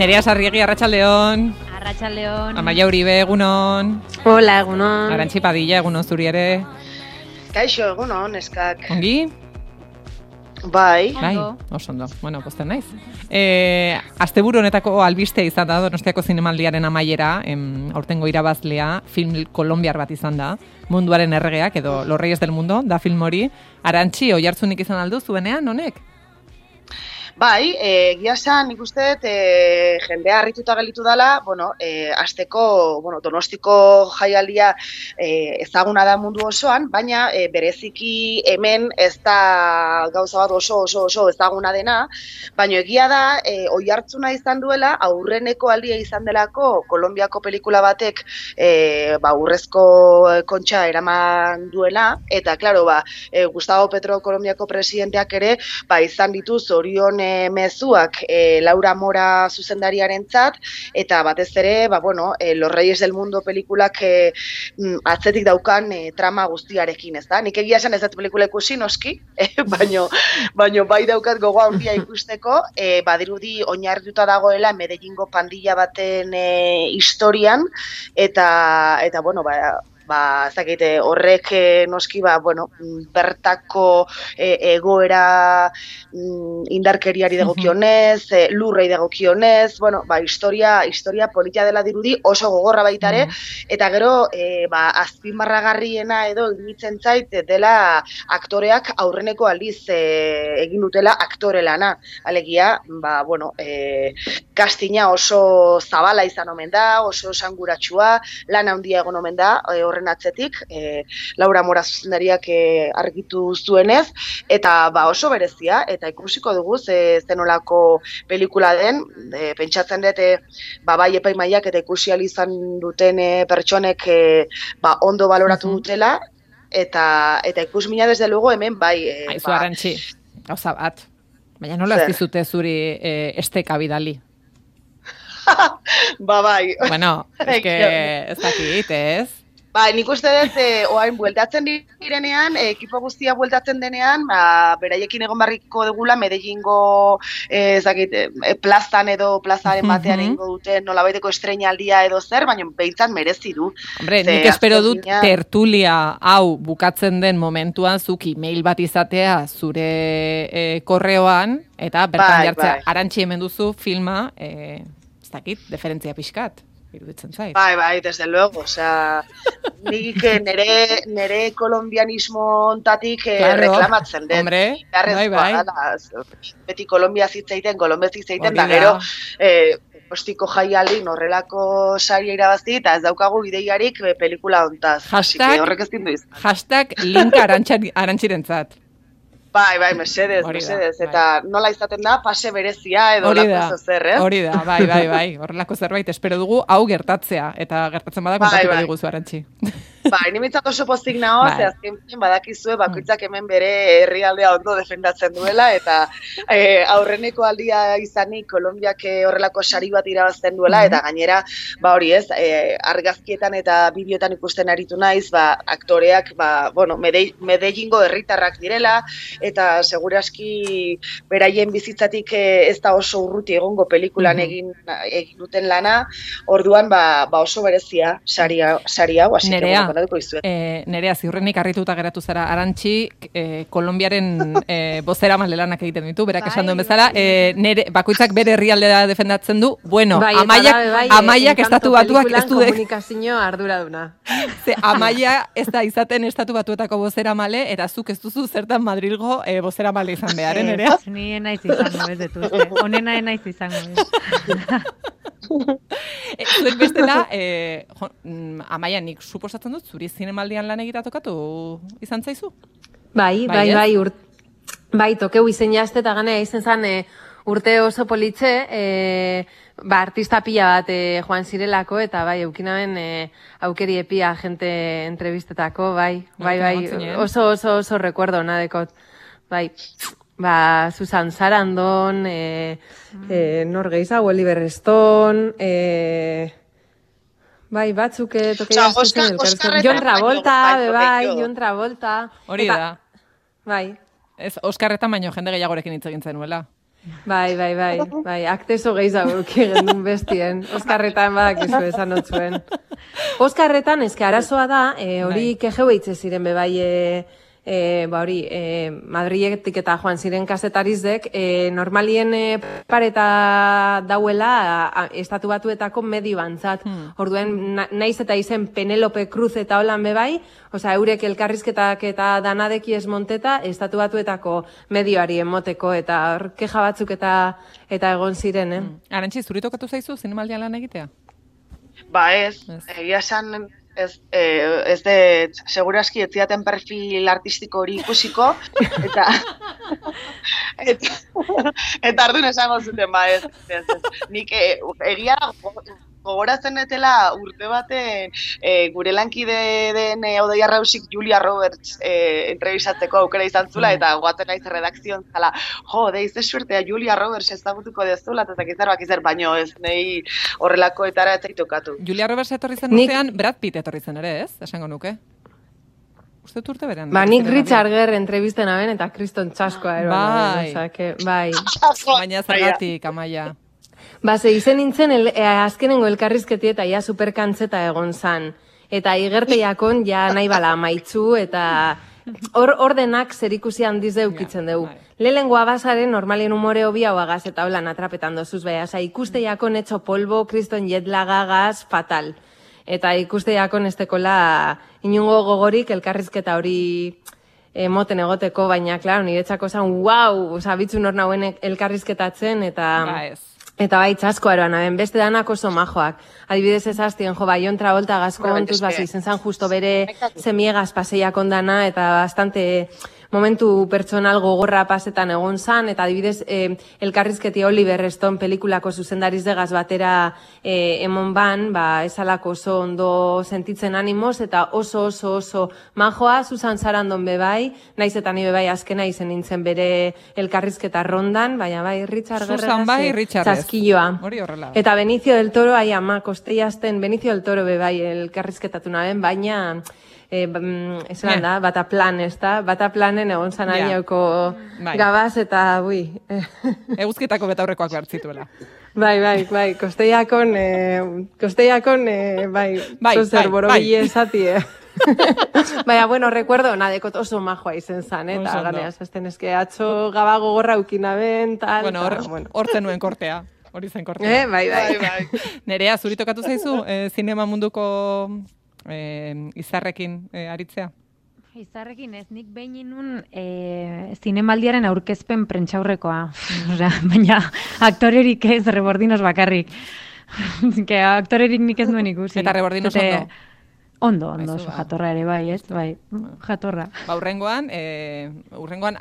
Nerea Sarriegi, arratsaldeon. Arratsaldeon. Amaia Uribe, egunon. Hola, egunon. Arantxi Padilla, egunon zuri ere. Kaixo, egunon, eskak. Ongi? Bai. Oso ondo. Bueno, pozten naiz. Asteburu honetako albistea izan da Donostiako zinemaldiaren amaiera, aurtengo irabazlea, film kolombiar bat izan da, Munduaren erregeak edo Los Reyes del Mundo, da film hori. Arantxi, oihartzunik izan aldu zuenean, honek? Bai, egia esan, nik uste dut jendea harrituta gelditu dela, azteko, Donostiko jaialdia ezaguna da mundu osoan, baina bereziki hemen ez da gauza bat oso ezaguna dena, baina egia da oihartzuna izan duela, aurreneko aldia izan delako Kolonbiako pelikula batek urrezko kontxa eraman duela, eta, klaro, Gustavo Petro Kolonbiako presidenteak ere, izan ditu zorion mezuak Laura Mora zuzendariarentzat, eta batez ere, Los Reyes del Mundo pelikulak atzetik daukan trama guztiarekin, ez da? Nik egia esan ez dut pelikula ikusi, noski, baino bai daukat gogoa handia ikusteko, badirudi oinarrituta dagoela Medellingo pandilla baten historian, eta horrek noski bertako egoera indarkeriari dagokionez, lurrei dagokionez, historia politia dela dirudi oso gogorra baita ere, eta gero azpimarragarriena edo iruditzen zait dela aktoreak aurreneko aldiz egin dutela aktore lana. Alegia, castinga oso zabala izan omen da, oso esanguratsua, lan handia egon omen da, atzetik, Laura Mora zuzendariak argitu zuenez, eta oso berezia, eta ikusiko dugu zenolako pelikula den, pentsatzen dut, bai epaimaiak eta ikusi ahal izan duten pertsonek ondo baloratu dutela, eta ikusmina desde luego hemen bai... Aizu Arantxi, gauza bat, baina nola ez dizute zuri esteka bidali? Bai. Bueno, ez dakit, ez? Nik uste dut, oain bueltatzen direnean, ekipo guztia bueltatzen denean, beraiekin egon barriko dugula, Medellingo plazan edo plazaren batean egingo duten nolabaiteko estreinaldia edo zer, baina behintzat merezi du. Hombre, nik espero dut tertulia hau bukatzen den momentuan zuk email bat izatea zure korreoan, eta bertan jartzea, Arantxi hemen duzu filma, ez dakit, deferentzia pixkat. Iruditzen zait. Bai, desde luego, nik nere kolombianismo ontatik reklamatzen den. Hombre, bai. Beti Kolombia zitzeiten, da gero, ostiko jaialdi horrelako saria irabazi, eta ez daukagu ideiarik pelikula hontaz. Horrek ez dindu izan. Hashtag link arantxirentzat. Bai, mesedez, eta nola izaten da, pase berezia edo lako zer, Hori da, bai, horrelako zerbait espero dugu hau gertatzea, eta gertatzen bada kontatu bat diguzu, Arantxi. Bai, nimentzat oso pozik nago, azken badakizue bakoitzak hemen bere herrialdea ondo defendatzen duela, eta aurreneko aldia izanik Kolonbiak horrelako sari bat irabazten duela, eta gainera, argazkietan eta bideoetan ikusten aritu naiz, aktoreak, Medellingo herritarrak direla, eta seguraski beraien bizitzatik ez da oso urruti egongo pelikulan egin duten lana, orduan oso berezia sari hau, hasi Nerea, ziurrenik harrituta geratu zara, Arantxi, Kolonbiaren bozeramalea lanak egiten ditu, berak esan duen bezala, bakoitzak bere herrialdea defendatzen du, Amaiak estatu batuak ez du komunikazio arduraduna. Amaia ez da izaten estatu batuetako bozeramale, eta zuk ez duzu zertan Madrilgo bozeramale izan behar, Nerea? Ni enaiz izango, ez detuzte. Honena enaiz izango. Zuek bestela, Amaia, nik suposatzen dut, zuri zinemaldian lan egitea tokatu izan zaizu? Bai, tokeu izen jazte eta ganea izen zan urte oso politxe, artista pila bat joan zirelako, eta eukinaben aukeri epia jente entrevistetako, oso recuerdo nadekot, Susan Sarandon, nor gehiago, Oliver Stone, batzuk tokea aztuzen elkarrezko. John Travolta. Hori da. Bai. Ez, Oskarretan baino jende gehiagorekin hitz egin zenuela. Bai, akteso gehiago gendun bestien. Oskarretan badakizu esan otzuen. Oskarretan, eske arazoa da, hori kejeu eitze ziren bebai, Madriletik eta joan ziren kazetarizek, normalien pareta dauela estatu batuetako medio antzat. Orduen, naiz eta izen Penelope Cruz eta holan bebai, osea, eurek elkarrizketak eta danadeki esmonteta, estatu batuetako medioari emoteko, eta hor keja batzuk eta egon ziren, Arantxi, zuri tokatu zaizu zinemaldian lan egitea? Ba ez, egia esan ez de seguraski ez ziaten perfil artistiko hori ikusiko, eta ardun esango zuten, ba ez. Nik egia gogoratzen etela urte baten gure lankide den Odei Arrausik Julia Roberts entrevistatzeko aukera izan zula, eta goatzen naiz redakzion zala, deize suertea Julia Roberts ezagutuko dezula, eta zakizar, baino ez nahi horrelako etara ez tokatu. Julia Roberts etorri zen urtean, Brad Pitt etorri zen ere, ez? Esango nuke. Uste urte berean. Ba, nik Richard Gere entrevisten aben, eta Kriston Txaskoa eroan. Bai. Baina zergatik, Amaia. Ba, ze izen nintzen azkenengo elkarrizketi eta ja superkantzeta egon zan. Eta igerteiakon ja nahi bala amaitzu eta hor denak zerikusi handiz deukitzen dugu. Lehengoa bazaren normalien umore hobi hau agaz eta holan atrapetan dozuz beha. Osa, ikusteiakon etxo polbo, kriston jetlagagaz, fatal. Eta ikusteiakon estekola inungo gogorik elkarrizketa hori moten egoteko, baina, klaro, niretzako zan, osa, bitzu nor nauen elkarrizketatzen eta... Eta bai, txasko eroan, beste danak oso majoak. Adibidez ezaztien, Jon Travolta gazko ontuz, izen zan justo bere zemiegaz paseiak ondana, eta bastante momentu pertsonal gogorra pasetan egon zan, eta adibidez elkarrizketi Oliver Stone pelikulako zuzendariz degaz batera emon ban, esalako oso ondo sentitzen animoz, eta oso majoa, Susan Sarandon bebai, naiz eta ni bebai azkena izen nintzen bere elkarrizketa rondan, baina bai, Richard Gere txaskilloa. Eta Benicio del Toro, kosteiazten, Benicio del Toro bebai elkarrizketatu naben, baina esan da, Bataplan, ez da? Bataplanen egon zan arioko gabaz eta, Eguzkitako betaurrekoak behartzituela. Bai, kosteiakon, zozer borobile esatie. Baina, recuerdo, nadekot oso majoa izen zan, eta ganeaz, azten eske atxo gabago gorra ukinaben, tal. Bueno, hor zenuen kortea. Hori zen kortea. Bai. Nerea, zuri tokatu zaizu, zinema munduko izarrekin aritzea? Izarrekin ez, nik behin inun zinemaldiaren aurkezpen prentxaurrekoa. Baina aktorerik ez, Rebordinos bakarrik. Aktorerik nik ez nuen ikusi. Eta Rebordinos ondo? Ondo, oso jatorra ere, bai, ez? Bai, jatorra. Urrengoan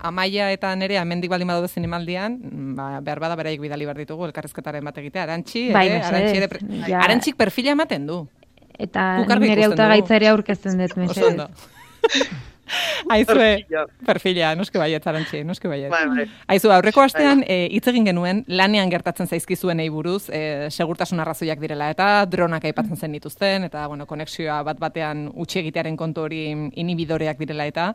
Amaia eta Nerea hemendik baldin badaude zinemaldian, behar bada beraik bidali behar ditugu elkarrizketaren bat egitea. Arantxik perfila ematen du. Eta nire hautagaitza ere aurkezten dut, mesedez. Aizue, perfila, noske baiet, Arantxi, noske baiet. Aizu, aurreko astean hitz egin genuen lanean gertatzen zaizkizuenei buruz, segurtasun arrazoiak direla, eta dronak aipatzen zen dituzten, eta konexioa bat-batean utzi egitearen kontu hori inhibidoreak direla, eta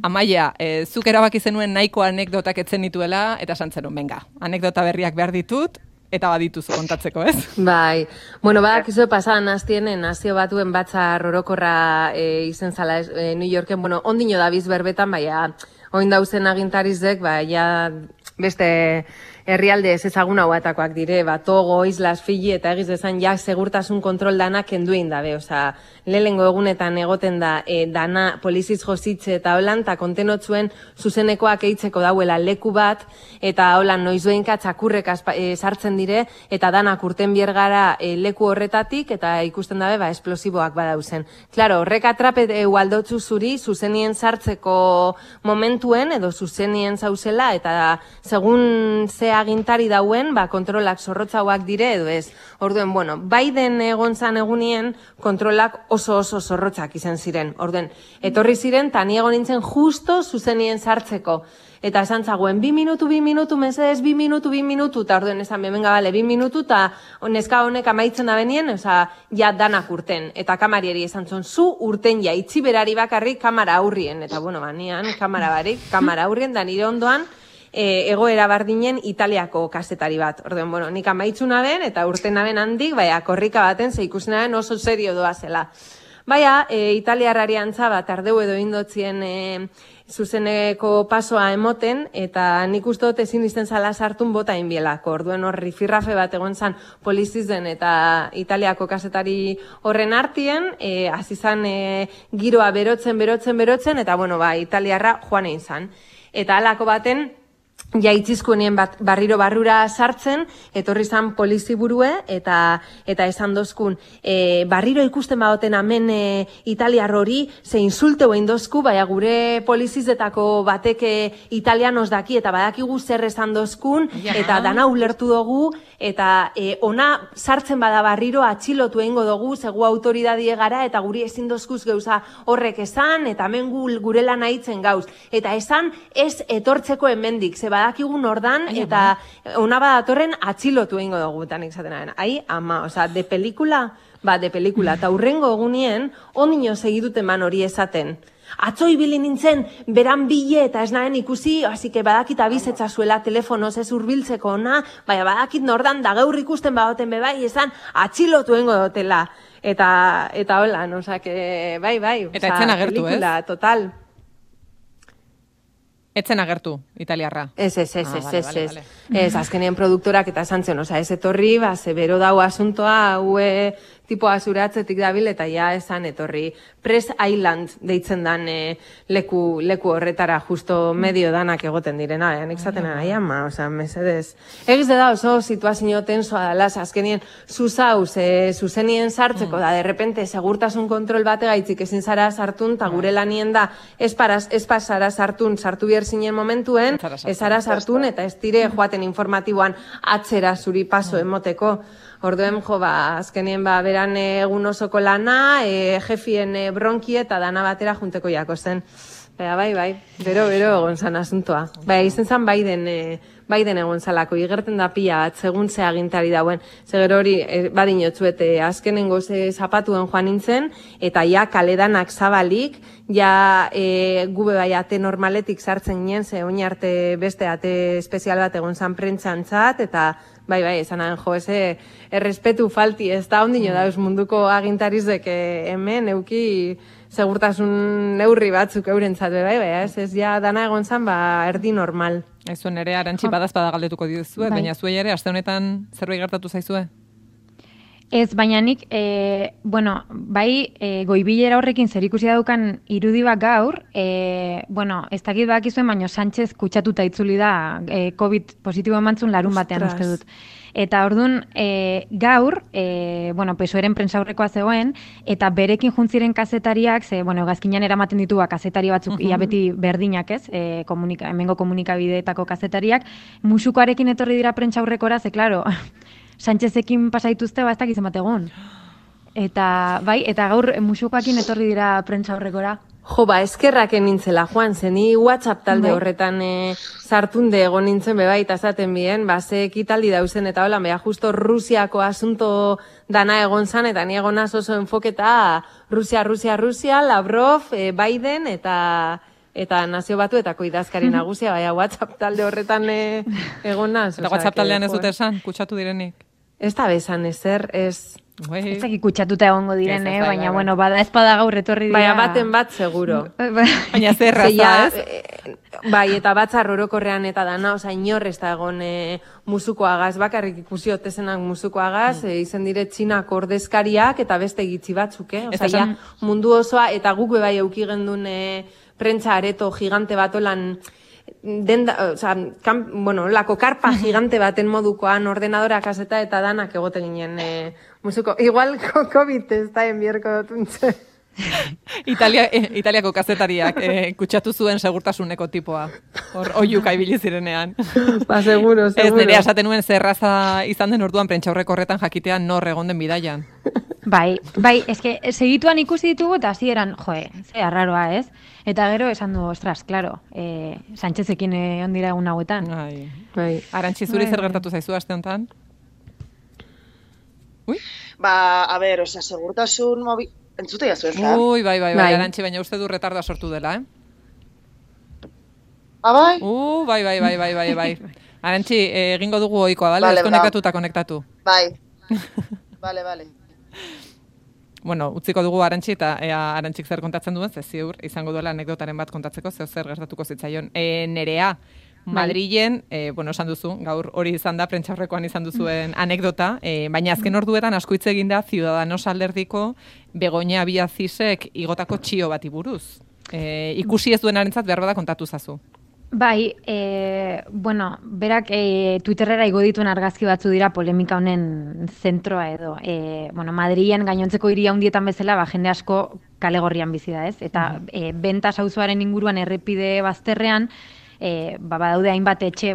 Amaia, zuk erabaki zenuen nahiko anekdotak etzen dituela, eta esan zenuen, venga, anekdota berriak behar ditut, eta badituzu kontatzeko, ez? Bai. Badakizu pasadan hastienen nazio batuen batzar orokorra izen zala New Yorken, ondino dabiz berbetan, baina oin dauzen agintarizek, beste herrialde ez ezagun hauatakoak dire, Togo, Islas, Fiji, eta egiz dezan segurtasun kontrol danak kenduin dabe, oza, lehengo egunetan egoten da dana poliziz jositze eta holan, eta kontenotzuen zuzenekoak eitzeko dauela leku bat, eta holan noizuenka txakurrek sartzen dire, eta danak urten biergara leku horretatik, eta ikusten dabe, esplosiboak badauzen. Claro, horrek atrapet aldotzu zuri, zuzenien sartzeko momentuen, edo zuzenien zauzela, eta segun ze agintari dauen, kontrolak zorrotzauak dire, edo ez. Orduen, Biden egon zan egunien, kontrolak oso zorrotzak izan ziren. Orduen, etorri ziren, eta ni egon nintzen justo zuzenien sartzeko. Eta esan zagoen, 2 minutu, mesedez, 2 minutu, eta orduen esan, benga, 2 minutu, eta neska honek amaitzen da benien, ja danak urten. Eta kamarieri esan zon, zu urten ja, itzi berari bakarrik kamara aurrien. Eta, nian, kamara aurrien, da nire ondoan, egoera bardinen Italiako kazetari bat. Orduan, bueno, nik amaitzuna ben, eta urtena ben handik, korrika baten ze ikusenaren oso serio doa zela. Italiarrari antza bat ardeu edo indotzien zuzeneko pasoa emoten, eta nik uste dut ezin izten zala sartun bota inbielako. Orduen horri firrafe bat egon zan polizizen eta Italiako kazetari horren artien, azizan giroa berotzen, eta Italiarra joan egin zan. Eta halako baten, jaitzizkuenien barriro barrura sartzen, etorri zan poliziburue, eta esan dozkun, barriro ikusten badoten amen italiar hori, ze insulteu egin dozku, gure polizizetako batek italianos daki, eta badakigu zer esan dozkun, eta dana ulertu dugu, eta ona sartzen bada barriro atxilotu egingo dugu, zegu autoridadie gara, eta guri ezin dozkuz gauza horrek esan, eta hemen gure lan aitzen gauz. Eta esan ez etortzeko hemendik, ze badakigun ordan, eta ona badatorren atxilotu egingo dugu, eta nik zaten de pelikula, eta hurrengo egunien, ondino segidute man hori esaten. Atzo ibili nintzen, beran bile eta ez nahen ikusi, hasi que badakit abizetza zuela telefonoz ez urbiltzeko ona, badakit nordan da gaur ikusten badoten bebai, esan atxilotu egingo dutela. Eta hola, bai. Eta etzen agertu, pelikula, total. Etzen agertu, italiarra. Ez. Ez, azkenien produktorak eta esan zen, ez etorri, ze bero dau asuntoa, haue tipoa zuratzetik dabil, eta esan etorri. Press Island deitzen dan leku horretara, justo medio danak egoten direna, nik zaten mesedez. Egiz da oso situazio tensoa dala, azkenien zuzauz, zuzenien sartzeko, da, derrepente, segurtasun kontrol bate gaitzik ezin zara sartun, eta gure lanien da, ez pasara sartun, sartu bier zinen momentuen, ez zara sartun, eta ez dire joaten informatiboan atzera zuri paso emoteko. Orduen, azkenien beran egun osoko lana, jefien bronki eta dana batera junteko jako zen. Bai, bero egon zan asuntoa. Izen zan Biden egon zalako, igerten da pila bat, segun ze agintari dauen. Zeger hori, badinotzuete, azkenengo zapatuen joan nintzen, eta kaledanak zabalik, gube ate normaletik sartzen ginen, ze oin arte beste ate espezial bat egon zan prentzantzat, eta bai, esanan errespetu falti, ez da ondino dauz munduko agintarizek hemen euki segurtasun neurri batzuk eurentzat, ez dana egon zan, erdi normal. Ez zuen ere, Arantxi badazpada galdetuko dizue, baina zuei ere, aste honetan zerbait gertatu zaizue? Ez, baina nik, goibilera horrekin zer ikusi daukan irudi bat gaur, ez dakit bakizuen, baina Sánchez kutsatuta itzuli da COVID positibo emantzun larun batean uste dut. Eta orduan, gaur, PSOEren prentsaurrekoa zegoen, eta berekin juntziren kazetariak, gazkinan eramaten ditu kazetari batzuk, ia beti berdinak ez, hemengo komunikabideetako kazetariak, musukoarekin etorri dira prentsaurrekora, ze, klaro, Sánchezekin pasaituzte, ez dakiz emate egon. Eta gaur musukoakin etorri dira prentsaurrekora. Eskerrak nintzela, Juan, zeni WhatsApp talde horretan sartunde egon nintzen eta zaten bien, ze ekitaldi dauzen eta hola, justo Rusiako asunto dana egon zan, eta ni egonaz oso enfoketa Rusia, Lavrov, Biden eta nazio batuetako idazkari nagusia, WhatsApp talde horretan egonaz. Eta WhatsApp taldean ez dute esan, kutsatu direnik? Ez da bezan ezer, ez... Ez dakik kutsatuta egongo diren, baina, bada espada gaur etorri dira. Baten bat, seguro. Baina zerraza, ez? Eta batzar orokorrean eta dana, inor ez da egon musukoagaz, bakarrik ikusi otezenak musukoagaz, izen dire Txinak ordezkariak eta beste gitzi batzuk, mundu osoa, eta guk bebai euki gendun prentsa areto gigante bat olan... lako karpa gigante baten modukoan ordenadora kaseta eta danak egote ginen musuko. Igual COVID ez da enbierko dutuntze. Italiako kazetariak kutsatu zuen segurtasuneko tipoa. Oiuka ibili zirenean. Seguro. Ez nire esaten nuen zerraza izan den orduan prentsaurreko horretan jakitean nor egon den bidaian. Bai, eske segituan ikusi ditugu eta hasieran, ze arraroa, ez? Eta gero esan du, ostras, claro, Sánchezekin ondira egun hauetan. Bai. Arantxi, zuri zer gertatu zaizu aste honetan? Ui? Segurtasun mobil... Entzute jazu ez da? Bai, Arantxi, baina uste du retardoa sortu dela, Bai? Bai. Arantxi, egingo dugu ohikoa, bale? Vale, Deskonektatu eta konektatu. Bai. Bale. Bueno, utziko dugu Arantxi eta Arantxik zer kontatzen duen, ze ziur izango duela anekdotaren bat kontatzeko, zer gertatuko zitzaion. Nerea, Madrilen, esan duzu, gaur hori izan da, prentxaurrekoan izan duzuen anekdota, baina azken orduetan asko hitz egin da Ciudadanos alderdiko Begoña Villacísek igotako txio bati buruz. Ikusi ez duenarentzat behar bada kontatu zazu. Bai, berak Twitterrera igo dituen argazki batzu dira polemika honen zentroa edo. Madrilen gainontzeko hiri handietan bezala, jende asko kale gorrian bizi da, ez? Eta Bentas auzoaren inguruan errepide bazterrean, badaude hainbat etxe,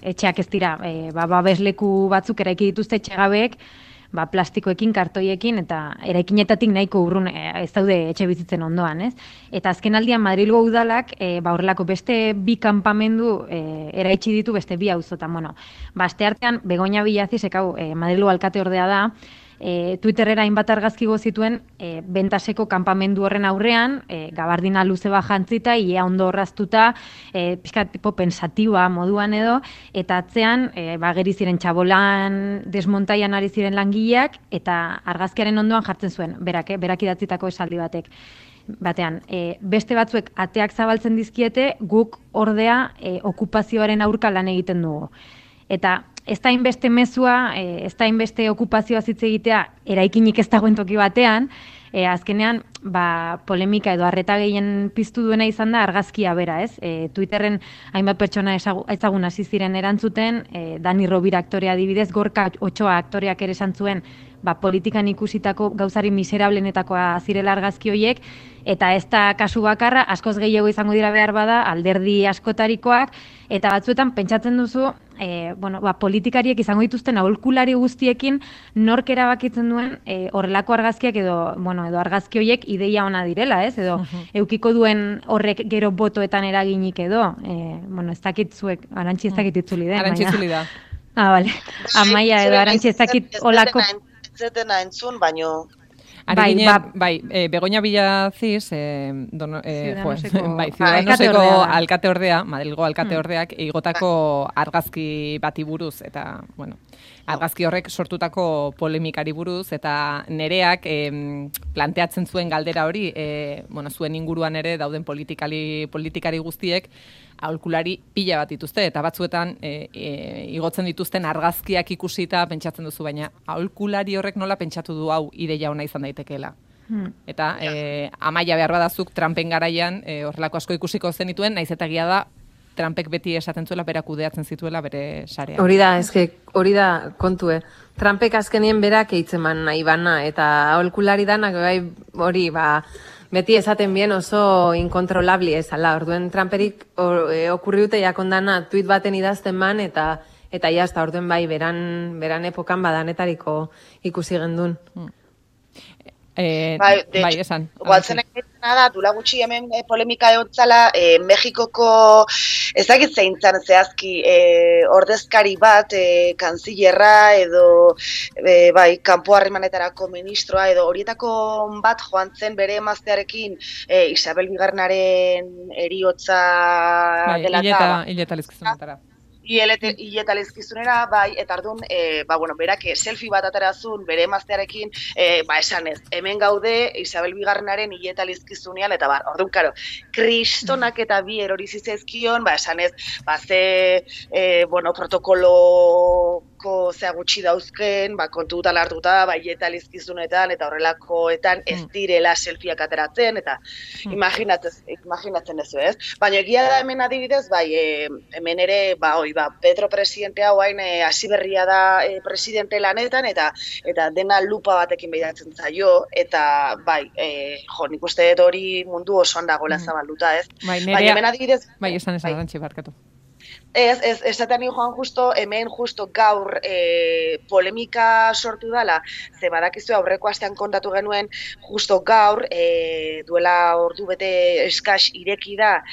etxeak ez dira, babesleku batzuk eraiki dituzte etxegabeek, plastikoekin, kartoiekin, eta eraikinetatik nahiko urrun ez daude etxe bizitzen ondoan, ez? Eta azken aldian Madrilgo udalak, horrelako beste bi kanpamendu eraitsi ditu beste bi auzotan. Asteartean, Begoña Villacísek, Madrilgo alkate ordea da, Twitterrera hainbat argazki zituen Bentaseko kanpamendu horren aurrean, gabardina luze bat jantzita, ia ondo horraztuta, pixka tipo pensatiba moduan edo, eta atzean, geri ziren txabolan desmontaian ari ziren langileak, eta argazkiaren ondoan jartzen zuen, berak idatzitako esaldi batean. Beste batzuek ateak zabaltzen dizkiete, guk ordea okupazioaren aurka lan egiten dugu. Eta ez da inbeste mezua, ez da inbeste okupazioa hitz egitea eraikinik ez dagoen toki batean, azkenean polemika edo arreta gehien piztu duena izan da argazkia bera, ez? Twitterren hainbat pertsona ezagun hasi ziren erantzuten, Dani Rovira aktorea adibidez, Gorka Otxoa aktoreak ere esan zuen, politikan ikusitako gauzari miserablenetakoa zirela argazki horiek, eta ez da kasu bakarra, askoz gehiago izango dira behar bada, alderdi askotarikoak, eta batzuetan pentsatzen duzu, politikariek izango dituzten aholkulari guztiekin nork erabakitzen duen horrelako argazkiak edo argazki horiek ideia ona direla, ez? Edo eukiko duen horrek gero botoetan eraginik edo, ez dakit zuek, Arantxi ez dakit itzuli den. Arantxi itzuli da. Bale. Amaia edo Arantxi ez dakit olako... Zetena entzun, baino... Begoña Villacís, Ciudadanoseko alkate ordea, Madrilgo alkate ordeak, igotako argazki bati buruz, eta, argazki horrek sortutako polemikari buruz, eta nereak planteatzen zuen galdera hori, zuen inguruan ere dauden politikari guztiek, aholkulari pila bat dituzte, eta batzuetan igotzen dituzten argazkiak ikusita pentsatzen duzu, baina aholkulari horrek nola pentsatu du hau ideia ona izan daitekeela. Eta Amaia behar badazuk Trumpen garaian horrelako asko ikusiko zenituen, naiz eta egia da Trumpek beti esaten zuela berak kudeatzen zituela bere sarea. Hori da kontue. Trumpek azkenien berak eitzeman nahi bana, eta aholkulari danak hori beti esaten bien oso inkontrolabli ezala. Orduen Trumperik okurriute jakondana tuit baten idazten man, eta jazta, orduen beran epokan badanetariko ikusi gendun. Esan. Gualtzen egiten da, dula gutxi hemen polemika egotzala, Mexikoko ezagit zeintzan zehazki ordezkari bat, kanzillerra edo kanpo harremanetarako ministroa edo horietako bat joan zen bere emaztearekin Isabel Bigarrenaren eriotza dela eta... Hileta lezkizunetara. Hileta lezkizunera, eta ardun, berak selfie bat aterazun bere emaztearekin, esan ez, hemen gaude Isabel Bigarrenaren hileta lezkizunean, eta orduan, karo, kristonak eta bi erori zizezkion, esan ez, protokoloko zea gutxi dauzken, kontutan hartuta, hileta lezkizunetan, eta horrelakoetan ez direla selfieak ateratzen, eta imaginatzen ez, ez? Baina egia da hemen adibidez, hemen ere, Petro presidentea oain hasi berria da presidente lanetan, eta dena lupa batekin behidatzen zaio, eta nik uste dut hori mundu osoan dagoela zabalduta, ez? Baina hemen adibidez... esan Arantxi, barkatu. esaten joan justo, hemen justo gaur polemika sortu dala, ze badakizu aurreko astean kontatu genuen, justo gaur, duela ordu bete eskas ireki da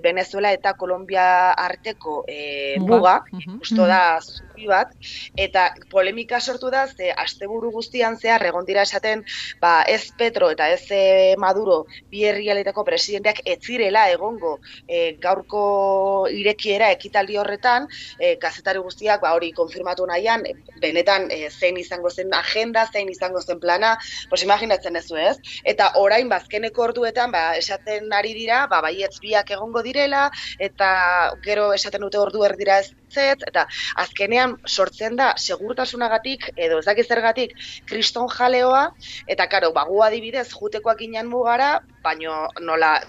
Venezuela eta Kolombia arteko muga, justo da zubi bat, eta polemika sortu da, ze asteburu guztian zehar egon dira esaten, ez Petro eta ez Maduro bi herrialdetako presidenteak ez zirela egongo gaurko irekiera ekitaldi horretan, kazetari guztiak hori konfirmatu nahian, benetan zein izango zen agenda, zein izango zen plana, pues imaginatzen ezu ez? Eta orain bazkeneko orduetan esaten ari dira, baietz biak egongo direla, eta gero esaten dute ordu erdira ez eta azkenean sortzen da segurtasunagatik edo ez dakiz zergatik kriston jaleoa, eta karo, gu adibidez jutekoak ginen mugara, baino nola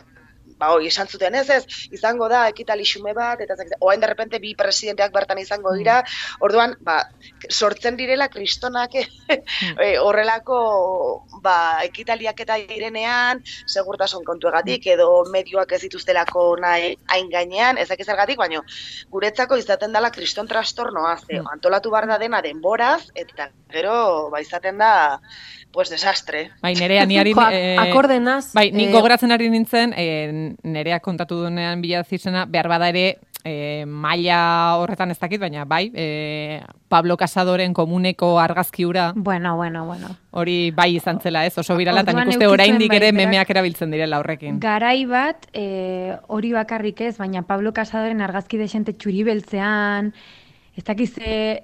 hori esan zuten ez, izango da ekitali xume bat, eta orain de repente bi presidenteak bertan izango dira, orduan, sortzen direla kristonak horrelako ekitaliak eta direnean, segurtasun kontuegatik, edo medioak ez dituztelako nahi hain gainean, ez dakiz zergatik, baina guretzako izaten dela kriston trastornoa, antolatu behar da dena denboraz, eta gero izaten da pues desastre. Bai, Nerea, ni akordenaz. Bai, nik gogoratzen ari nintzen, Nerea kontatu duenean bila zizena, behar bada ere, maila horretan ez dakit, baina bai, Pablo Casadoren komuneko argazkiura. Bueno. Hori bai izan zela, ez? Oso birala, eta nik uste oraindik ere memeak erabiltzen direla horrekin. Garai bat, hori bakarrik ez, baina Pablo Casadoren argazki desente txuri beltzean, ez dakiz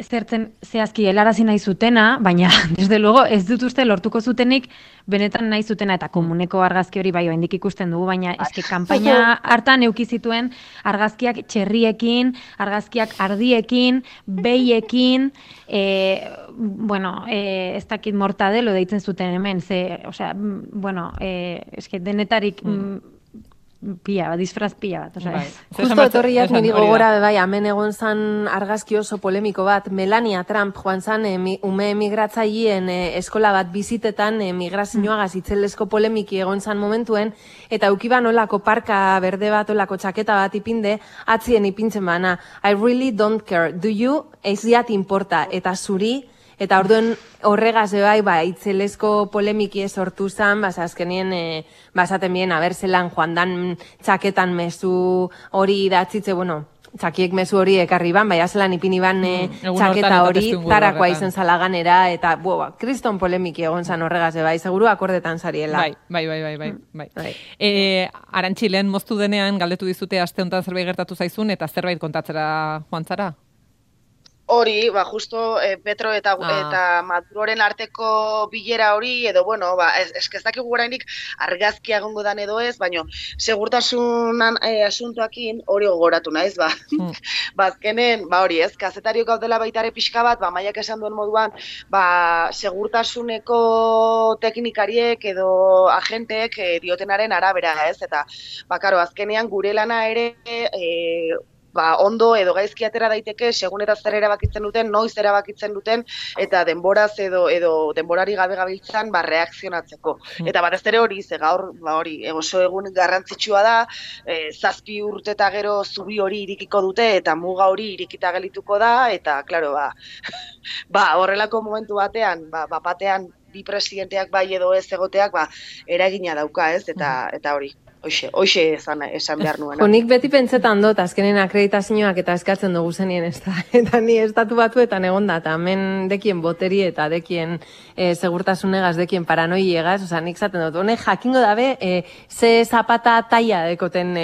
zertzen zehazki helarazi nahi zutena, baina, desde luego, ez dut uste lortuko zutenik benetan nahi zutena, eta komuneko argazki hori bai oraindik ikusten dugu, baina eske kanpaina hartan euki zituen argazkiak txerriekin, argazkiak ardiekin, behiekin, ez dakit mortadelo deitzen zuten hemen, eske denetarik disfraz pila bat, Justo etorriak niri gogora hemen egon zan argazki oso polemiko bat, Melania Trump joan zan ume emigratzaileen eskola bat bizitetan migrazioagaz itzelesko polemiki egon zan momentuen, eta eukiban olako parka berde bat, olako txaketa bat ipinde, atzien ipintzen bana, I really don't care, do you? Ez diat importa, eta zuri, eta orduen horregaz itzelesko polemiki sortu zan, azkenien, esaten bien, zelan joan dan txaketan mezu hori idatzitze, txakiek mezu hori ekarri ban, zelan ipini ban txaketa hori, tarakoa izen zalaganera, eta, kriston polemiki egon zan horregaz, seguru akordetan zariela. Bai. Arantxilen moztu denean, galdetu dizute aste honetan zerbait gertatu zaizun, eta zerbait kontatzera joan zara? Hori, justo Petro eta Maduroren arteko bilera hori, edo, eskezak egurainik argazkia egongo dan edo ez, baina segurtasunan asuntoakin hori gogoratu naiz, azkenen, hori ez, kazetariok gaudela baitare pixka bat, maiak esan duen moduan, segurtasuneko teknikariek edo agenteek diotenaren arabera, ez, eta, azkenean gure lana ere, ondo edo gaizki atera daiteke, segun eta zer erabakitzen duten, noiz erabakitzen duten, eta denboraz edo denborari gabe gabiltzan reakzionatzeko. Eta batez ere hori, ze gaur, oso egun garrantzitsua da, 7 urte eta gero zubi hori irikiko dute, eta muga hori irikita gelituko da, eta, klaro, horrelako momentu batean, batean, bi presidenteak bai edo ez egoteak, eragina dauka, ez, eta hori. Hoxe esan behar nuena. Nik beti pentsetan dut, azkenen akreditazioak eta eskatzen dugu zenien ez da. Eta ni estatu batuetan egon da, eta hemen dekien boteri eta dekien segurtasunegaz, dekien paranoiegaz, nik zaten dut, honek jakingo dabe, ze zapata taia dekoten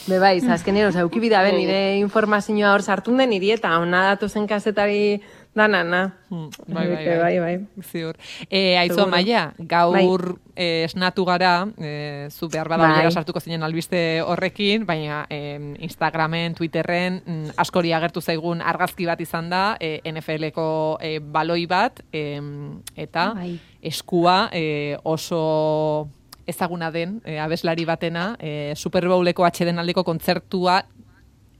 bebaiz, azkenen, eukibida ben, nire informazioa hor sartun den, niri eta hona datu zen kazetari danana. Bai. Ziur. Aizu Amaia, gaur esnatu gara, zu behar bada bilera sartuko zinen albiste horrekin, baina Instagramen, Twitterren, askori agertu zaigun argazki bat izan da, NFL-eko baloi bat, eta eskua oso ezaguna den abeslari batena, Super Bowleko atxeden aldeko kontzertua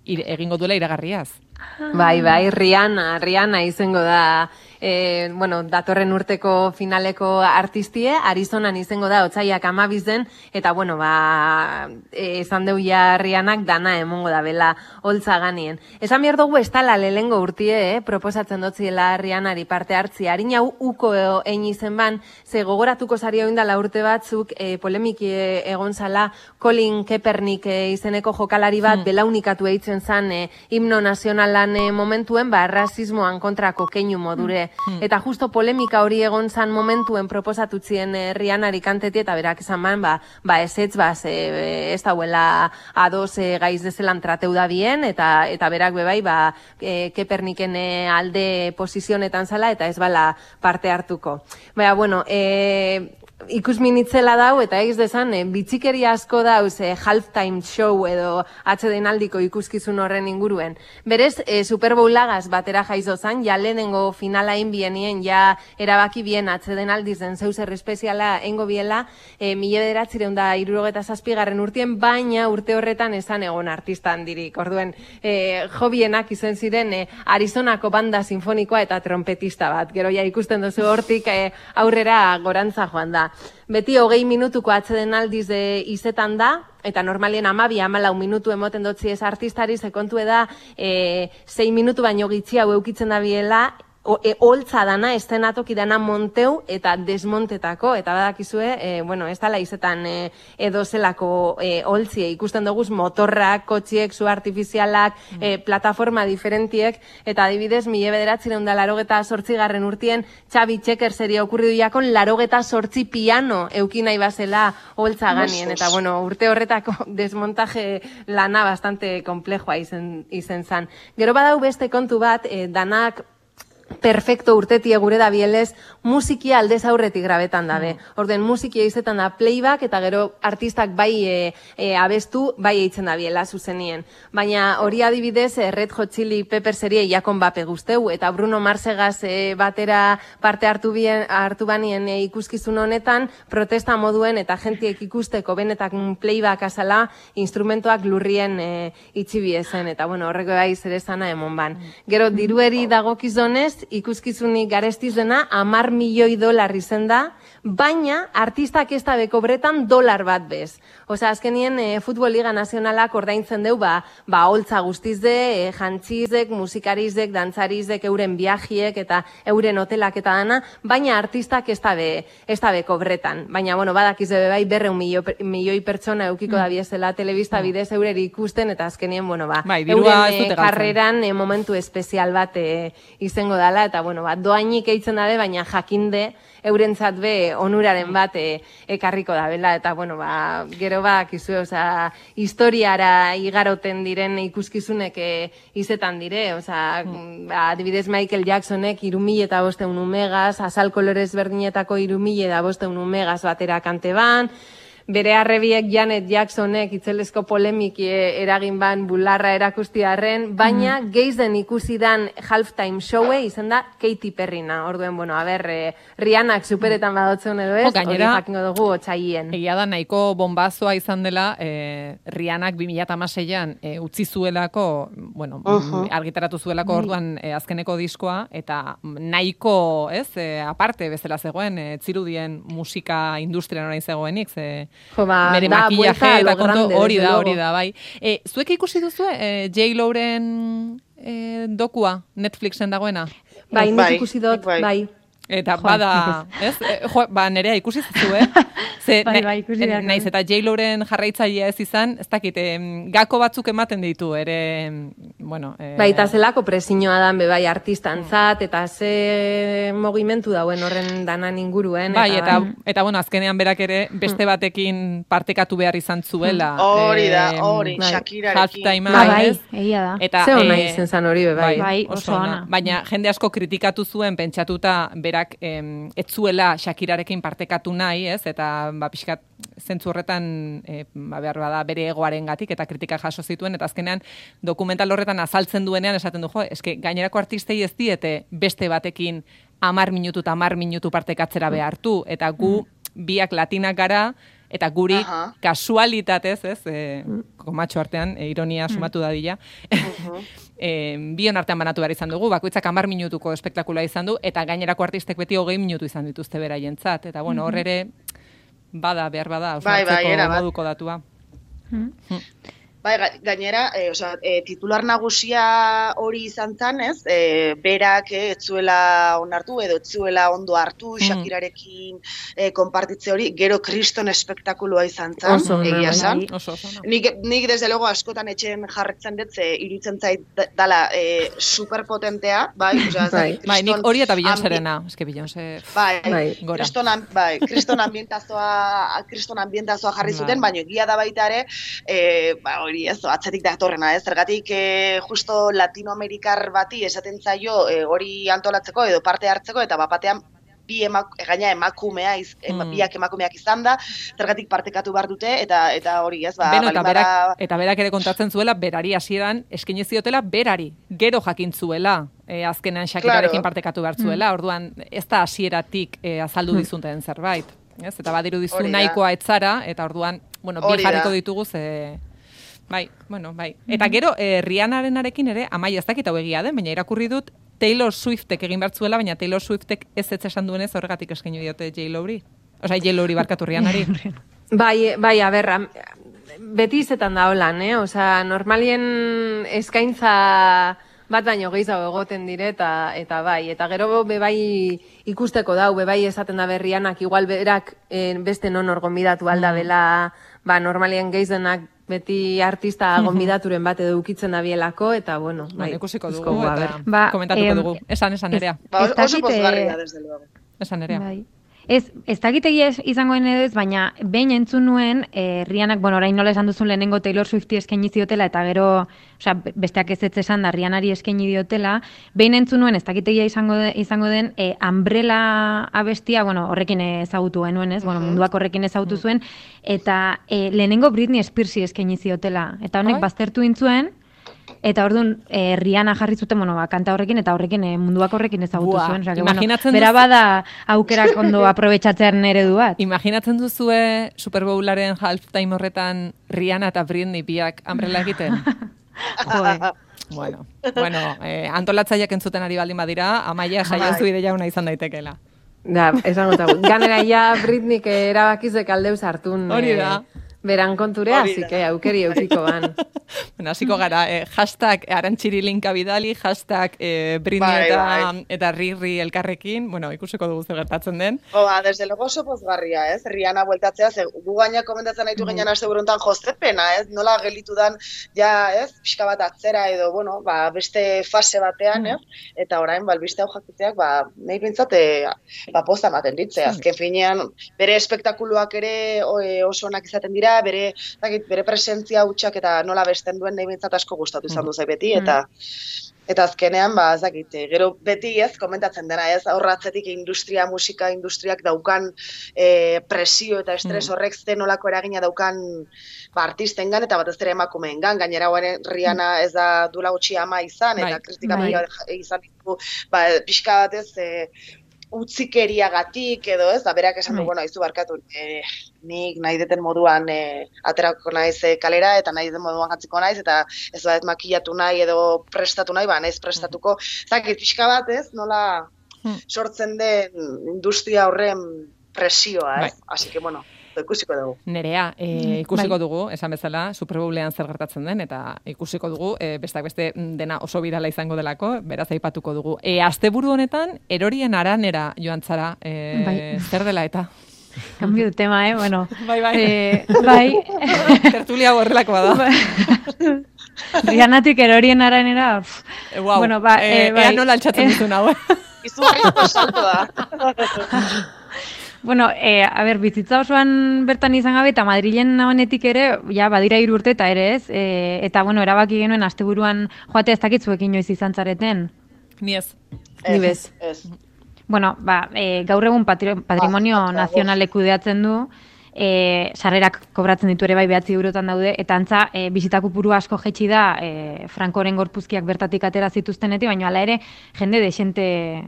egingo duela iragarriaz. Rihanna izango da bueno, datorren urteko finaleko artistie, Arizonan izango da otsaiak 12 eta bueno, esan deu ja Rihannak dana emongo da bela holtza ganien. Esan behar dugu ez tala lehengo urtie, proposatzen dotziela Rihannari parte hartzi. Harin hau uko egin izen ban, ze gogoratuko zari oindala urte batzuk, polemiki egon zala Colin Kaepernick izeneko jokalari bat belaunikatu eitzen zan himno nazionalan momentuen, rasismoan kontrako keinu modure. Eta justo polemika hori egon zan momentuen proposatutzien Rihannari kanteti, eta berak esan ban, ezetz, ez dauela ados gaiz dezelan trateu da bien, eta berak bebai, Kaepernicken alde posizionetan zala, eta ez bala parte hartuko. Baina, bueno, ikusminitzela dau, eta egz desan, bitxikeria asko dauz halftime show edo atsedenaldiko ikuskizun horren inguruen. Berez, Super Bowlagaz batera jaizo zan, ja lehenengo finala inbienien, ja erabaki bien atsedenaldizen zeuzer espeziala engo biela, 1967 urtien, baina urte horretan esan egon artista handirik. Orduen, jobienak izen ziren Arizonako banda sinfonikoa eta trompetista bat. Gero ja ikusten duzu hortik aurrera gorantza joan da. Beti 20 minutuko atsedenaldiz izetan da, eta normalien 12-14 minutu emoten dotzi ez artistari, sekontu da 6 minutu baino gitzi hau eukitzen da biela, holtza dana, estenatoki dana monteu eta desmontetako, eta badakizue, bueno, ez dala izetan edo zelako holtzie, ikusten duguz motorrak, kotxiek, zu artifizialak, plataforma diferentiek, eta adibidez, 1988 urtien, Xabi Txeker seria okurridu jakon, 88 piano eukin nahi bazela holtza ganien, eta bueno, urte horretako desmontaje lana bastante komplejoa izen zan. Gero badau beste kontu bat, danak perfecto urtetie gure da bielez, musikia aldez aurretik grabetan dabe. Orden, musikia izetan da playback, eta gero artistak bai abestu, bai eitzen da biela zuzenien. Baina hori adibidez, Red Hot Chili Peppers serie Jakon Bape guzteu, eta Bruno Marsegaz batera parte hartu banien ikuskizun honetan, protesta moduen eta jentiek ikusteko benetak playback azala, instrumentoak lurrien itxibiezen, eta bueno, horreko bai zerezana emon ban. Gero, dirueri dagokizonez, ikuskizunik garestiz dena, $10 milioi izen da, baina artistak ez da bekobretan $1 bat bez. Osa, azkenien Futbol Liga Nazionalak ordaintzen deu, holtza guztizde, jantzizek, musikarizek, dantzarizek, euren viajiek eta euren hotelak eta dana, baina artistak ez da bekobretan. Baina, bueno, badakiz bai 200 milioi pertsona eukiko da biezela telebista bidez eureri ikusten, eta azkenien, bueno, euren karreran momentu espezial bat izango dala, eta, bueno, doainik eitzen dabe, baina jakinde eurentzat be onuraren bat ekarriko da bela, eta, bueno, gero kizu, oza, historiara igaroten diren ikuskizunek izetan dire, oza, adibidez Michael Jacksonek 3.500 umegaz, azal kolorez berdinetako 3.500 umegaz batera kante ban, bere arrebiek Janet Jacksonek itzelesko polemiki eragin ban bularra erakustiarren, baina geizen ikusi dan halftime showe izen da Katy Perryna. Orduen, bueno, Rihannak superetan badotzen edo ez, hori jakingo dugu otsaien. Egia da, nahiko bombazoa izan dela, Rihannak 2016an utzi zuelako, bueno, argitaratu zuelako orduan azkeneko diskoa, eta nahiko, ez, aparte bezala zegoen, zirudien musika industrian orain zegoenik, bere makillaje eta konto hori da, bai. Zuek ikusi duzu J-Loren dokua Netflixen dagoena? Bai, nik ikusi dut, bai. Eta bada, ez? Nerea ikusi zuzu, Bai, ikusi da. Naiz eta J-Loren jarraitzailea ez izan, ez dakit, gako batzuk ematen ditu, ere, bueno... Bai, eta zelako presiñoa dan, bai, artistantzat, eta ze mogimentu dauen horren danan inguruen. Bai, eta bueno, azkenean berak ere beste batekin partekatu behar izan zuela. Hori da, Shakirarekin. Bai, egia da. Ze hona izen zan hori, bai. Bai, oso ona. Baina jende asko kritikatu zuen, pentsatuta berak etzuela Shakirarekin partekatu nahi, ez? Eta pixkat zentzu horretan behar bada bere egoarengatik eta kritika jaso zituen, eta azkenean dokumental horretan azaltzen duenean esaten du, eske gainerako artistei ez diete beste batekin 10 minutu partekatzera behartu, eta gu biak latinak gara, eta guri kasualitatez, ez, komatxo artean, ironia sumatu dadila, bion artean banatu behar izan dugu, bakoitzak 10 minutuko espektakula izan du, eta gainerako artistek beti 20 minutu izan dituzte beraientzat, eta bueno, hor ere, behar bada, osnatzeko moduko datua. Bai, gainera, titular nagusia hori izan zen, ez? Berak etzuela onartu edo etzuela ondo hartu, Shakirarekin konpartitze hori, gero kriston espektakuloa izan zen, egia esan. Nik desde logo askotan etxen jarretzen dut, iruditzen zait dala superpotentea, bai? Bai, nik hori eta Beyoncéerena, eske Beyoncé gora. Kriston ambientazoa jarri zuten, baina egia da baita ere, hori ez, atzetik datorrena, ez? Zergatik justo Latinoamerikar bati esaten zaio hori antolatzeko edo parte hartzeko, eta bapatean gaina emakumea, biak emakumeak izan da, zergatik partekatu behar dute, eta hori ez, eta berak ere kontatzen zuela, berari hasieran eskaini ziotela berari, gero jakin zuela, azkenean Shakirarekin partekatu behar zuela, orduan ez da hasieratik azaldu dizuten zerbait, ez? Eta badiru dizu nahikoa etzara, eta orduan, bi jarriko ditugu Bai. Eta gero, Rihannarenarekin ere, Amaia ez dakit hau egia den, baina irakurri dut Taylor Swiftek egin bertzuela, baina Taylor Swiftek ez esan duenez horregatik eskaini diote J-Lori. Osa, J-Lori barkatu Rihannari. Bai, a ber, beti izetan da holan, Osa, normalien eskaintza bat baino gehiago egoten dire, eta bai, eta gero bebai ikusteko dau, bebai esaten da Rihannak, igual berak beste non gonbidatu alda bela, normalien gehiagoenak beti artista gonbidaturen bat edo ukitzen da bielako, eta bueno, bai, ikusiko dugu, eta komentatuko dugu. Esan Nerea. Oso pozgarria, desde luego. Esan Nerea. Ez dakitegi izangoen edo ez, baina behin entzun nuen, Rihannak, orain nola esan duzun lehenengo Taylor Swifti eskaini ziotela, eta gero, besteak ez esan da Rihannari eskaini diotela, behin entzun nuen, ez dakitegia izango den, Umbrella abestia, horrekin ezagutu genuen, ez? Munduak horrekin ezagutu zuen, eta lehenengo Britney Spearsi eskaini ziotela, eta honek baztertu intzuen, eta orduan Rihanna jarri zuten, kanta horrekin, eta horrekin munduak horrekin ezagutu zuen. Bera bada aukerak ondo aprobetxatzearen eredu bat. Imaginatzen duzue Super Bowlaren halftime horretan Rihanna eta Britney biak Umbrella egiten? Bueno, antolatzaileak entzuten ari baldin badira, Amaia saiozu ideia una izan daitekeela. Da, esango tagut. Ganera ja Britneyk erabakizek aldeuz hartun. Hori da. Beran konturea, así que aukeri eukiko ban. Hasiko gara, hashtag Arantxiri linka bidali, hashtag Britney eta Riri elkarrekin, ikusiko dugu zer gertatzen den. Desde luego oso pozgarria, ez? Rihanna bueltatzea, gu gaina komentatzen nahitu ginen aste buruntan jozepena, ez? Nola gelitu dan, ez? Pixka bat atzera edo, beste fase batean, ez? Eta orain, albiste hau jakiteak, nahi bintzat, posta ematen ditze. Azken finean, bere espektakuluak ere oso onak izaten dira, bere presentzia hutsak eta nola besten duen nahi bintzat asko gustatu izan duzai beti, eta azkenean, gero beti ez, komentatzen dena ez, aurratzetik musika industriak daukan presio eta estres horrek zenolako eragina daukan artistengan eta batez ere emakumeengan, gainera Rihanna ez da duela gutxi ama izan, eta kritika izan ditu, pixka batez, utzikeriagatik edo ez, berak esan du, aizu barkatu, nik nahi deten moduan aterako naiz kalera, eta nahi deten moduan jatziko naiz, eta ez bat makillatu nahi edo prestatu nahi, naiz prestatuko. Zakit, pixka bat ez, nola sortzen den industria horren presioa, ez? Así que, ikusiko dugu. Nerea, ikusiko dugu, esan bezala, Super Bowlean zer gertatzen den, eta ikusiko dugu, besteak beste dena oso birala izango delako, beraz aipatuko dugu. Asteburu honetan, erorien aranera joan zara, zer dela eta? Cambio de tema, bueno. Bai. Tertulia horrelakoa da. Rihannatik erorien aranera, bueno, ea nola altxatzen ditu nahu. Izugarrizko salto da. Bueno, bizitza osoan bertan izan gabe, eta Madrilen honetik ere, badira 3 urte eta ere ez, eta, erabaki genuen asteburuan joate ez dakitzuek inoiz izan zareten. Ni ez. Ni bez. Bueno, gaur egun patrimonio nazionale kudeatzen du, sarrerak kobratzen ditu ere 9 eurotan daude, eta antza bisitako puru asko jetxi da Frankoren gorpuzkiak bertatik atera zituztenetik, baina hala ere jende desente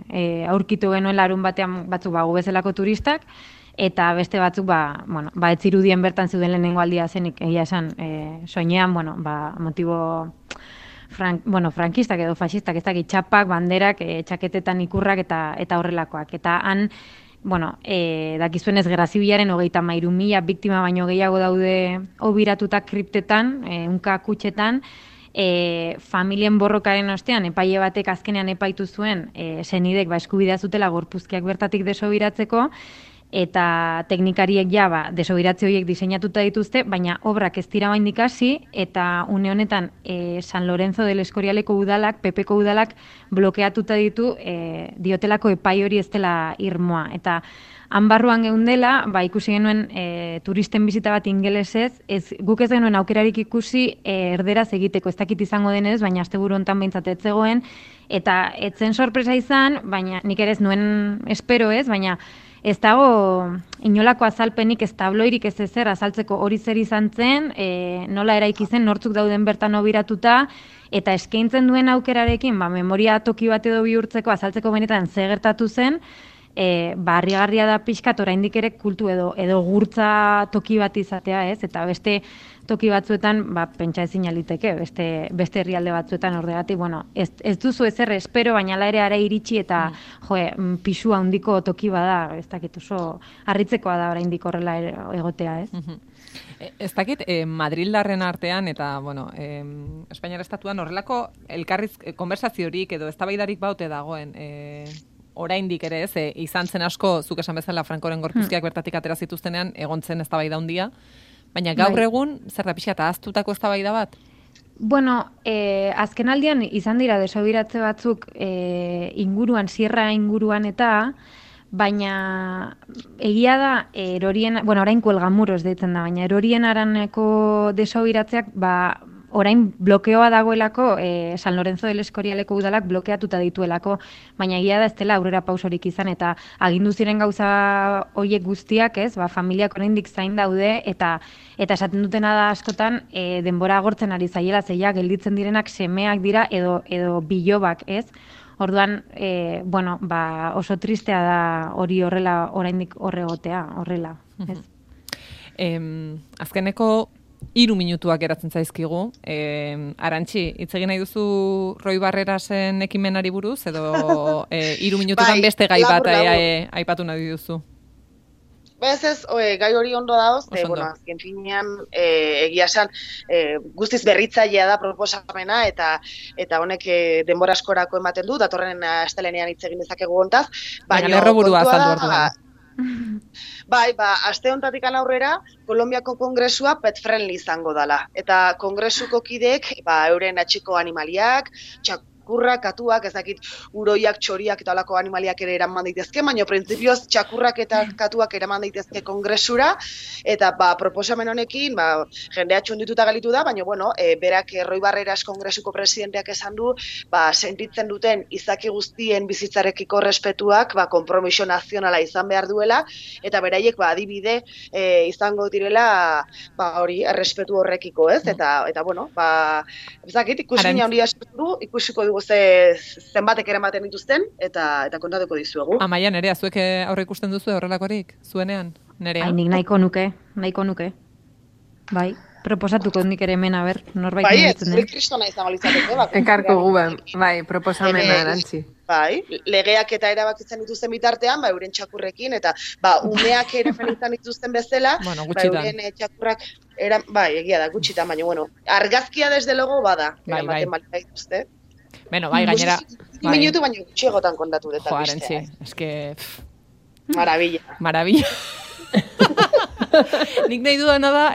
aurkitu genuen larun batean batzuk gu bezalako turistak, eta beste batzuk, ez zirudien bertan zeuden lehenengo aldia zenik, egia esan, soinean, motibo frankistak edo fasistak, ez dakit txapak, banderak, txaketetan ikurrak eta horrelakoak. Eta han, dakizuenez Gerra Zibilaren 33.000 biktima baino gehiago daude obiratuta kriptetan, ehunka kutxetan, familien borrokaren ostean, epaile batek azkenean epaitu zuen senidek eskubidea zutela gorpuzkiak bertatik desobiratzeko, eta teknikariek desobiratze horiek diseinatuta dituzte, baina obrak ez dira oraindik hasi, eta une honetan San Lorenzo del Escorialeko udalak, PPko udalak blokeatuta ditu diotelako epai hori ez dela irmoa. Eta han barruan geundela, ikusi genuen turisten bizita bat ingelesez, guk ez genuen aukerarik ikusi erderaz egiteko, ez dakit izango denez, baina asteburu hontan behintzat ez zegoen, eta etzen sorpresa izan, baina nik ere ez nuen espero ez, baina ez dago inolako azalpenik, ez tabloirik ez ezer azaltzeko hori zer izan zen, nola eraiki zen, nortzuk dauden bertan obiratuta, eta eskaintzen duen aukerarekin, memoria toki bat edo bihurtzeko, azaltzeko benetan ze gertatu zen, harrigarria da pixkat oraindik ere kultu edo gurtza toki bat izatea, ez? Eta beste toki batzuetan, pentsa ezin aliteke, beste herrialde batzuetan horregatik, ez duzu ezer espero, baina ala ere ara iritsi eta pisu handiko toki bada, ez dakit oso harritzekoa da oraindik horrela egotea, ez? Ez dakit, Madrildarren artean eta, Espainiar estatuan horrelako konversaziorik edo eztabaidarik baute dagoen, oraindik ere ez, izan zen asko, zuk esan bezala Frankoren gorpuzkiak bertatik atera zituztenean, egon zen eztabaida handia, baina gaur egun, zer da pixka eta ahaztutako eztabaida bat? Azken aldian izan dira desobiratze batzuk inguruan, sierra inguruan eta, baina egia da, orain Kuelgamuros deitzen da, baina erorien araneko desobiratzeak, orain blokeoa dagoelako San Lorenzo del Escorialeko udalak blokeatuta dituelako, baina egia da ez dela aurrera pausorik izan, eta agindu ziren gauza horiek guztiak, ez, familiak oraindik zain daude, eta esaten dutena da askotan denbora agortzen ari zaiela, zeia gelditzen direnak semeak dira edo bilobak, ez? Orduan, oso tristea da hori horrela, oraindik horregotea, horrela, ez? Azkeneko 3 minutuak geratzen zaizkigu. Arantxi, hitz egin nahi duzu Roi Barrerasen ekimenari buruz, edo 3 minututan beste gai bat aipatu nahi duzu? Ez, gai hori ondo dauz, azken finean, egia esan, guztiz berritzailea da proposamena, eta honek denbora askorako ematen du, datorren astelehenean hitz egin dezakegu hontaz. Baina lerroburua azaldu orduan. Aste honetatik aurrera, Kolonbiako kongresua pet friendly izango dela. Eta kongresuko kideek, euren atxiko animaliak, txakurrak, katuak, ez dakit uroiak, txoriak eta olako animaliak ere eraman daitezke, baina printzipioz txakurrak eta katuak eraman daitezke kongresura, eta proposamen honekin, jendea txundituta galitu da, baina berak Roi Barreras kongresuko presidenteak esan du, sentitzen duten izaki guztien bizitzarekiko respetuak, konpromiso nazionala izan behar duela, eta beraiek adibide izango direla hori errespetu horrekiko, ez? Eta ez dakit, ikusmina handia du, ikusiko dugu zenbatek eramaten dituzten, eta kontatuko dizuegu. Amaia, Nerea, zuek aurre ikusten duzu horrelakorik, zuenean, Nerea? Nik nahiko nuke. Bai, proposatuko nik ere hemen, norbait niretzen den. Bai, kristona izango litzateke. Enkarko guben, proposamena Arantzi. Bai, legeak eta erabakitzen dituzten bitartean, euren txakurrekin, eta umeak ere felitzan dituzten bezala, euren txakurrak, egia da, gutxitan, baina, argazkia desde logo bada, eramaten balita dituzte. Gainera... 2 minutu baina gutxiagotan kontatu dut. Jo, Arantzi, eske... Maravilla. Nik nahi dudana da,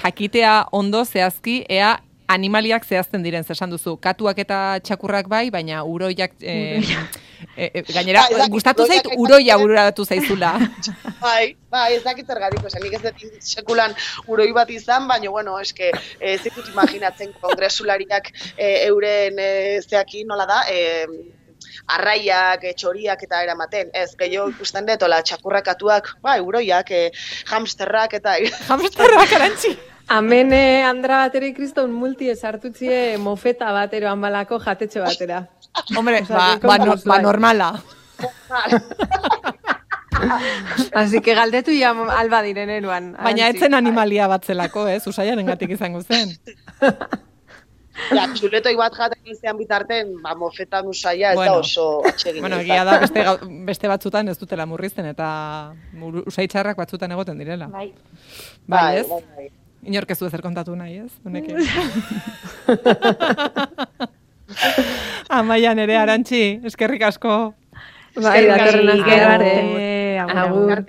jakitea ondo zehazki, ea animaliak zehazten diren, zesan duzu. Katuak eta txakurrak bai, baina uroiak... gainera, gustatu zait, uroia bururatu zaizula. Ez dakit zergatik, nik ez dut sekulan uroi bat izan, baina, eske, ez ditut imaginatzen kongresulariak euren zeaki nola da, arraiak, txoriak eta eramaten. Ez, gehiago ikusten dut, txakurrak, katuak, uroiak, hamsterrak eta... Hamsterrak, Arantxi! Hemen Andra bateri kriston multi esartutzie mofeta batero hanbalako jatetxe batera. Hombre, normala. Así que galdetu ja alba diren eruan. Baina etzen animalia batzelako, Usaiaren gatik izango zen. Ja, txuletoi bat jaten izan bitarten, mofetan Usaia ez da oso atsegin. Bueno, egia da beste batzutan ez dutela murrizten, eta usaitxarrak batzutan egoten direla. Bai, ez? Inork ez du ezer kontatu nahi, ez? Amaia nere Arantxi, eskerrik asko. Bai, datorren arte. Agur.